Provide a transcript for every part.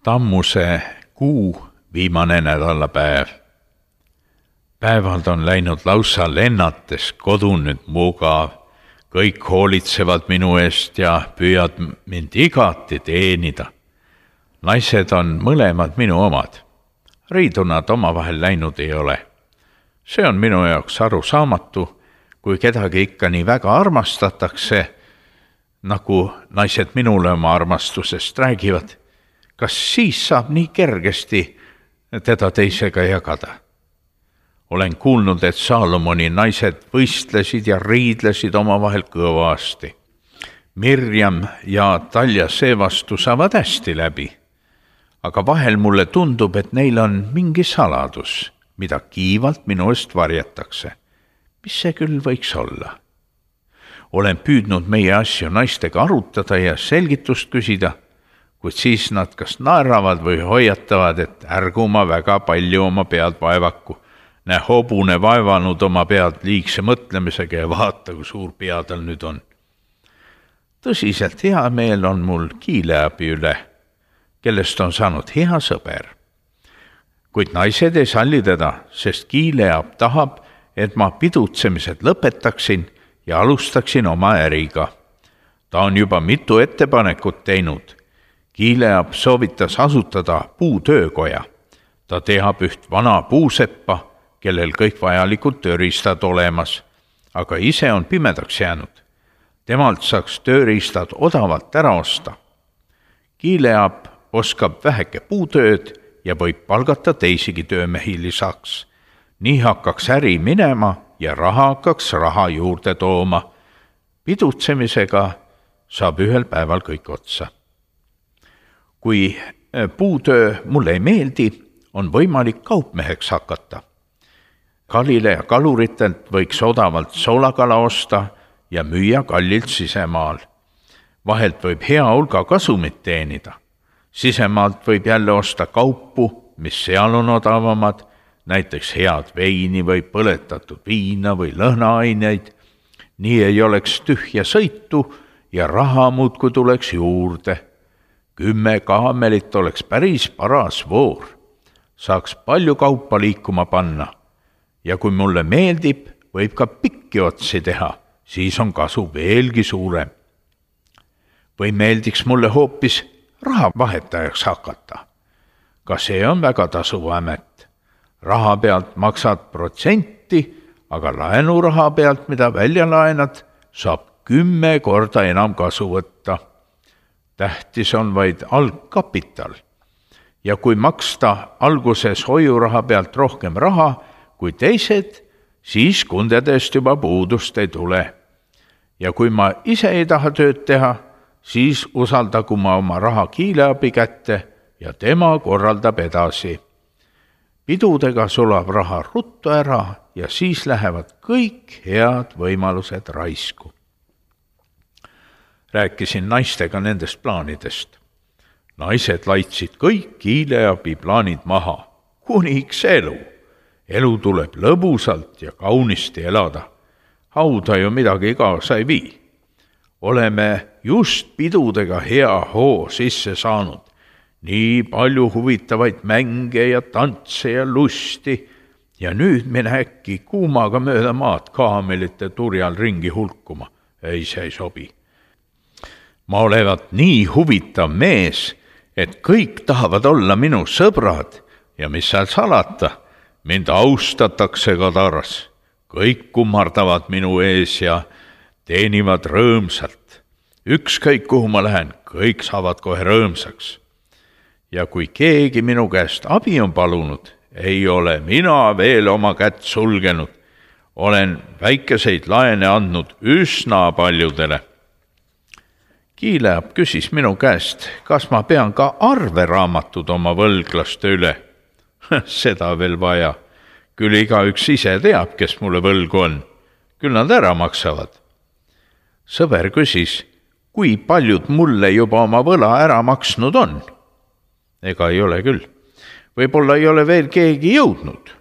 Tammuse kuu viimane nädalapäev. Päevad on läinud lausa lennates, kodu nüüd mugav. Kõik hoolitsevad minu eest ja püüad mind igati teenida. Naised on mõlemad minu omad. Riidu nad omavahel läinud ei ole. See on minu jaoks arusaamatu, kui kedagi ikka nii väga armastatakse, nagu naised minule oma armastusest räägivad. Kas siis saab nii kergesti teda teisega jagada? Olen kuulnud, et Saalomoni naised võistlesid ja riidlesid omavahel kõvasti. Mirjam ja Talja seevastu saavad hästi läbi. Aga vahel mulle tundub, et neil on mingi saladus, mida kiivalt minu eest varjatakse. Mis see küll võiks olla? Olen püüdnud meie asju naistega arutada ja selgitust küsida, kuid siis nad kas naeravad või hoiatavad, et ärgu ma väga palju oma pead vaevaku. Näe hobune vaevanud oma pead liigse mõtlemisega ja vaata, kui suur pea tal nüüd on. Tõsiselt hea meel on mul Kiileabi üle, kellest on saanud hea sõber. Kuid naised ei salli teda, sest Kiileab tahab, et ma pidutsemised lõpetaksin ja alustaksin oma äriga. Ta on juba mitu ettepanekut teinud. Kiileab soovitas asutada puutöökoja. Ta teab üht vana puuseppa, kellel kõik vajalikud tööriistad olemas, aga ise on pimedaks jäänud. Temalt saaks tööriistad odavalt ära osta. Kiileab oskab väheke puutööd ja võib palgata teisigi töömehi lisaks. Nii hakkaks äri minema ja raha hakkaks raha juurde tooma. Pidutsemisega saab ühel päeval kõik otsa. Kui puutöö mulle ei meeldi, on võimalik kaupmeheks hakata. Kalile ja kaluritelt võiks odavalt soolakala osta ja müüa kallilt sisemaal. Vahelt võib hea hulga kasumit teenida. Sisemaalt võib jälle osta kaupu, mis seal on odavamad, näiteks head veini või põletatud viina või lõhnaaineid. Nii ei oleks tühja sõitu ja raha muudkui tuleks juurde. 10 kaamelit oleks päris paras voor. Saaks palju kaupa liikuma panna. Ja kui mulle meeldib, võib ka pikki otsi teha, siis on kasu veelgi suurem. Või meeldiks mulle hoopis rahavahetajaks hakata. Ka see on väga tasuva amet. Raha pealt maksad protsenti, aga laenuraha pealt, mida välja laenad, saab 10 korda enam kasu võtta. Tähtis on vaid algkapital. Ja kui maksta alguses hoiuraha pealt rohkem raha kui teised, siis kundedest juba puudust ei tule. Ja kui ma ise ei taha tööd teha, siis usaldagu ma oma raha Kiileabi kätte ja tema korraldab edasi. Pidudega sulab raha ruttu ära ja siis lähevad kõik head võimalused raisku. Rääkisin naistega nendest plaanidest. Naised laitsid kõik Kiileabi plaanid maha. Kuniks elu. Elu tuleb lõbusalt ja kaunisti elada. Hauda ju midagi kaasa ei vii. Oleme just pidudega hea hoo sisse saanud. Nii palju huvitavaid mänge ja tantse ja lusti. Ja nüüd mine äkki kuumaga mööda maad kaamelite turjal ringi hulkuma. Ei, see ei sobi. Ma olevat nii huvitav mees, et kõik tahavad olla minu sõbrad ja mis seal salata, mind austatakse Kadaras. Kõik kummardavad minu ees ja teenivad rõõmsalt. Ükskõik kuhu ma lähen, kõik saavad kohe rõõmsaks. Ja kui keegi minu käest abi on palunud, ei ole mina veel oma kätt sulgenud. Olen väikeseid laene andnud üsna paljudele. Kiileab küsis minu käest, kas ma pean ka arveraamatud oma võlglaste üle. Seda veel vaja. Küll igaüks ise teab, kes mulle võlgu on. Küll nad ära maksavad. Sõber küsis, kui paljud mulle juba oma võla ära maksnud on. Ega ei ole küll. Võib-olla ei ole veel keegi jõudnud.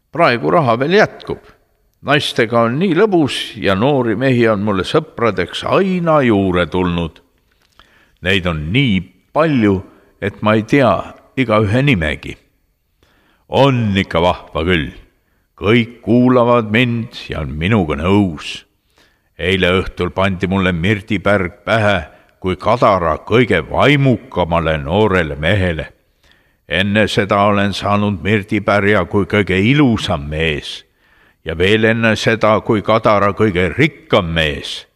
Praegu raha veel jätkub. Naistega on nii lõbus ja noori mehi on mulle sõpradeks aina juurde tulnud. Neid on nii palju, et ma ei tea igaühe nimegi. On ikka vahva küll. Kõik kuulavad mind ja on minuga nõus. Eile õhtul pandi mulle mirdipärg pähe kui Kadara kõige vaimukamale noorele mehele. Enne seda olen saanud mirdipärja kui kõige ilusam mees ja veel enne seda kui Kadara kõige rikkam mees.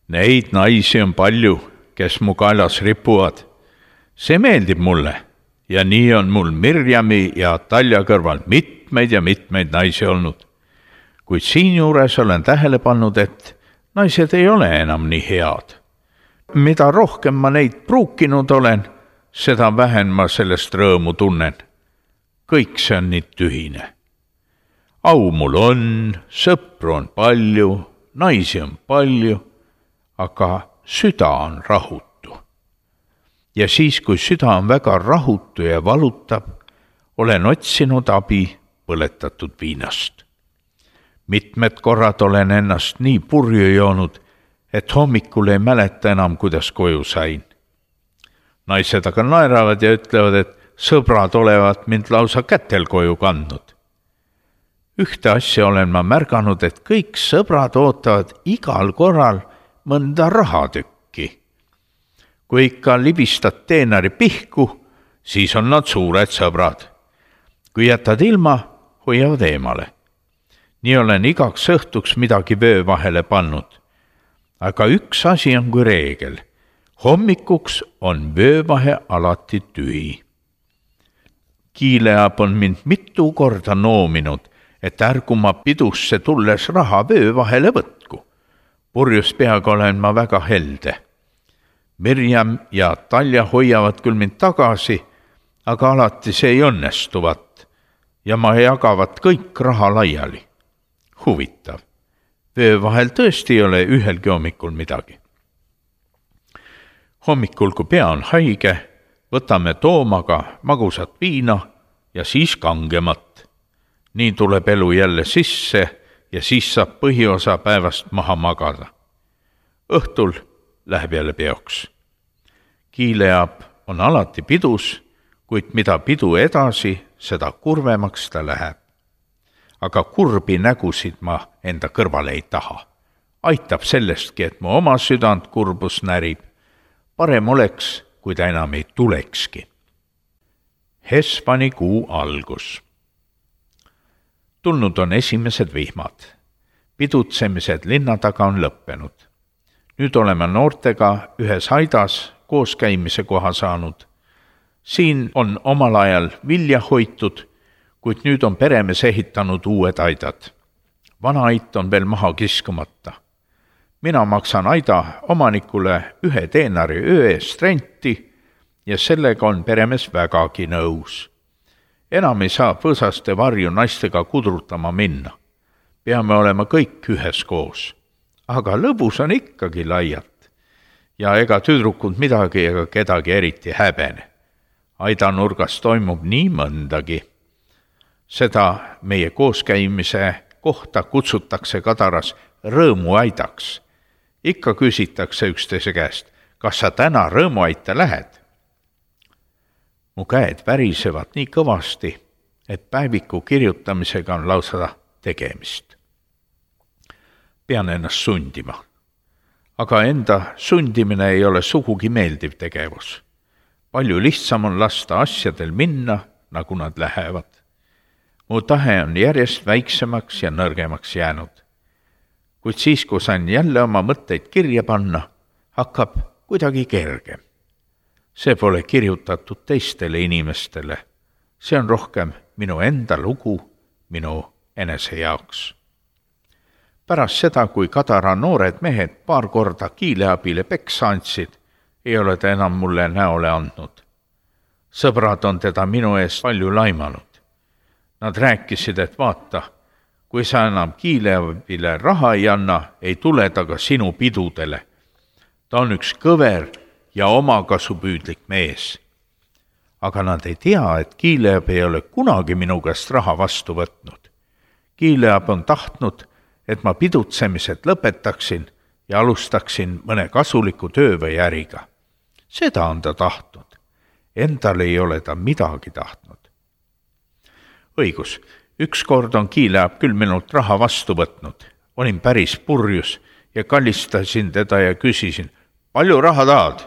Neid naisi on palju, kes mu kaelas ripuvad. See meeldib mulle ja nii on mul Mirjami ja Talja kõrval mitmeid ja mitmeid naisi olnud. Kuid siinjuures olen tähele pannud, et naised ei ole enam nii head. Mida rohkem ma neid pruukinud olen, seda vähem ma sellest rõõmu tunnen. Kõik see on nii tühine. Au mul on, sõpru on palju, naisi on palju, aga süda on rahutu. Ja siis, kui süda on väga rahutu ja valutab, olen otsinud abi põletatud viinast. Mitmed korrad olen ennast nii purju joonud, et hommikul ei mäleta enam, kuidas koju sain. Naised aga naeravad ja ütlevad, et sõbrad olevat mind lausa kätel koju kandnud. Ühte asja olen ma märganud, et kõik sõbrad ootavad igal korral mõnda rahatükki. Kui ikka libistad teenari pihku, siis on nad suured sõbrad. Kui jätad ilma, hoiavad eemale. Nii olen igaks õhtuks midagi vöö vahele pannud. Aga üks asi on kui reegel. Hommikuks on vöövahe alati tühi. Kiileab on mind mitu korda noominud, et ärgu ma pidusse tulles raha vöövahele võtku. Purjus peaga olen ma väga helde. Mirjam ja Talja hoiavad küll mind tagasi, aga alati see ei õnnestuvat ja ma jagavat kõik raha laiali. Huvitav. Vöövahel tõesti ei ole ühelgi hommikul midagi. Hommikul, kui pea on haige, võtame Toomaga magusat viina ja siis kangemat. Nii tuleb elu jälle sisse ja siis saab põhiosa päevast maha magada. Õhtul läheb jälle peoks. Kiileab on alati pidus, kuid mida pidu edasi, seda kurvemaks ta läheb. Aga kurbi nägusid ma enda kõrvale ei taha. Aitab sellestki, et mu oma südant kurbus närib. Parem oleks, kui ta enam ei tulekski. Hespani kuu algus. Tulnud on esimesed vihmad. Pidutsemised linna taga on lõppenud. Nüüd oleme noortega ühes aidas koos käimise koha saanud. Siin on omal ajal vilja hoitud, kuid nüüd on peremees ehitanud uued aidad. Vana ait on veel maha kiskumata. Mina maksan aida omanikule 1 teenari öö eest renti ja sellega on peremees vägagi nõus. Enam ei saa põõsaste varju naistega kudrutama minna. Peame olema kõik üheskoos. Aga lõbus on ikkagi laialt. Ja ega tüdrukud midagi ega kedagi eriti häbene. Aidanurgas toimub nii mõndagi. Seda meie kooskäimise kohta kutsutakse Kadaras rõõmuaidaks. Ikka küsitakse üksteise käest, kas sa täna rõõmuaita lähed? Mu käed värisevad nii kõvasti, et päeviku kirjutamisega on lausa tegemist. Pean ennast sundima. Aga enda sundimine ei ole sugugi meeldiv tegevus. Palju lihtsam on lasta asjadel minna, nagu nad lähevad. Mu tahe on järjest väiksemaks ja nõrgemaks jäänud. Kuid siis, kui sain jälle oma mõtteid kirja panna, hakkab kuidagi kergem. See pole kirjutatud teistele inimestele. See on rohkem minu enda lugu, minu enese jaoks. Pärast seda, kui Kadara noored mehed paar korda Kiileabile peksa andsid, ei ole ta enam mulle näole andnud. Sõbrad on teda minu eest palju laimanud. Nad rääkisid, et vaata, kui sa enam Kiileabile raha ei anna, ei tule ta ka sinu pidudele. Ta on üks kõver ja omakasupüüdlik mees. Aga nad ei tea, et Kiileab ei ole kunagi minu käest raha vastu võtnud. Kiileab on tahtnud, et ma pidutsemised lõpetaksin ja alustaksin mõne kasuliku töö või äriga. Seda on ta tahtnud. endal ei ole ta midagi tahtnud. Õigus, ükskord on Kiileab küll minult raha vastu võtnud. Olin päris purjus ja kallistasin teda ja küsisin, palju raha tahad?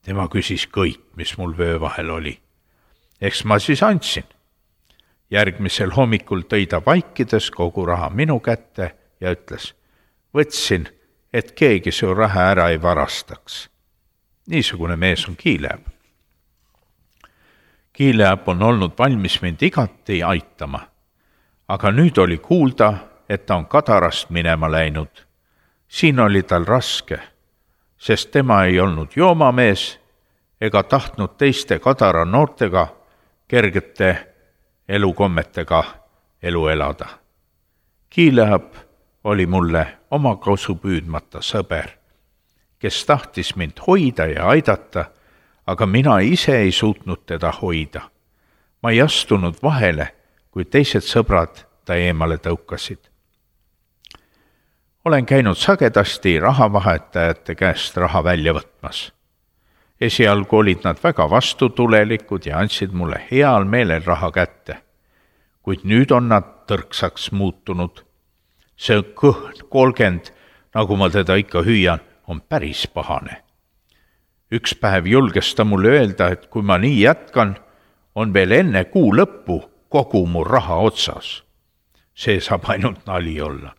Tema küsis kõik, mis mul vöö vahel oli. Eks ma siis andsin. Järgmisel hommikul tõi ta vaikides kogu raha minu kätte ja ütles, võtsin, et keegi su raha ära ei varastaks. Niisugune mees on Kiileab. Kiileab on olnud valmis mind igati aitama, aga nüüd oli kuulda, et ta on Kadarast minema läinud. Siin oli tal raske, sest tema ei olnud joomamees ega tahtnud teiste Kadara noortega kergete elukommetega elu elada. Kiileab oli mulle oma kausu püüdmata sõber, kes tahtis mind hoida ja aidata, aga mina ise ei suutnud teda hoida. Ma ei astunud vahele, kui teised sõbrad ta eemale tõukasid. Olen käinud sagedasti rahavahetajate käest raha välja võtmas. Esialgu olid nad väga vastutulelikud ja andsid mulle heal meelel raha kätte, kuid nüüd on nad tõrksaks muutunud. See kõhn 30, nagu ma teda ikka hüüan, on päris pahane. Üks päev julges ta mulle öelda, et kui ma nii jätkan, on veel enne kuu lõppu kogu mu raha otsas. See saab ainult nali olla.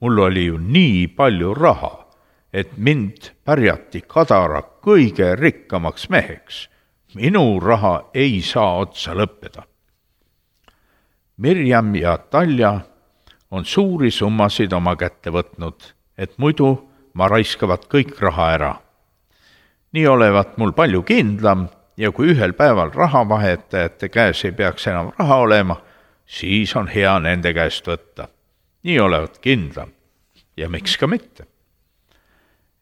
Mul oli ju nii palju raha, et mind pärjati Kadara kõige rikkamaks meheks. Minu raha ei saa otsa lõppeda. Mirjam ja Talja on suuri summasid oma kätte võtnud, et muidu ma raiskavat kõik raha ära. Nii olevat mul palju kindlam ja kui ühel päeval rahavahetajate käes ei peaks enam raha olema, siis on hea nende käest võtta. Nii olevat kindlam ja miks ka mitte.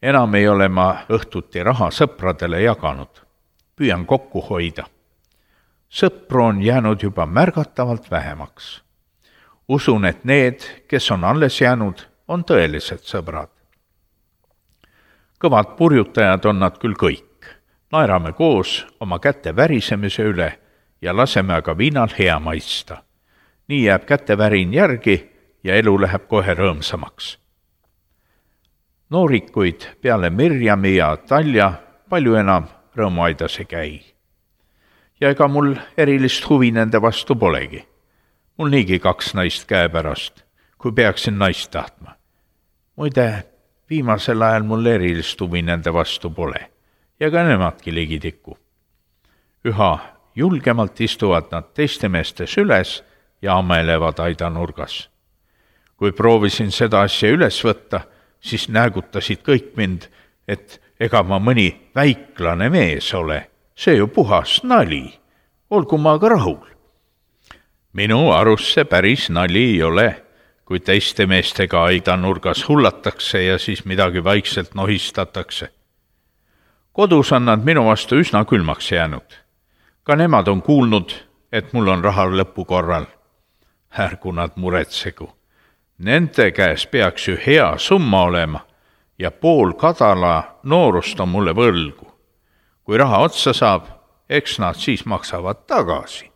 Enam ei ole ma õhtuti raha sõpradele jaganud. Püüan kokku hoida. Sõpru on jäänud juba märgatavalt vähemaks. Usun, et need, kes on alles jäänud, on tõelised sõbrad. Kõvad purjutajad on nad küll kõik. Naerame koos oma käte värisemise üle ja laseme aga viinal hea maista. Nii jääb käte värin järgi ja elu läheb kohe rõõmsamaks. Noorikuid peale Mirjami ja Talja palju enam rõõmuaidas ei käi. Ja ega mul erilist huvi nende vastu polegi. Mul niigi 2 naist käepärast, kui peaksin naist tahtma. Muide, viimasel ajal mul erilist huvi nende vastu pole ja ka nemadki ligitikku. Üha julgemalt istuvad nad teiste meestes üles ja amelevad aidanurgas. Kui proovisin seda asja üles võtta, siis näägutasid kõik mind, et ega ma mõni väiklane mees ole. See ju puhas nali. Olgu ma ka rahul. Minu arust see päris nali ei ole, kui teiste meestega aidanurgas hullatakse ja siis midagi vaikselt nohistatakse. Kodus on nad minu vastu üsna külmaks jäänud. Ka nemad on kuulnud, et mul on raha lõpu korral. Ärgu nad muretsegu. Nende käes peaks ju hea summa olema ja pool Kadala noorust on mulle võlgu. Kui raha otsa saab, eks nad siis maksavad tagasi.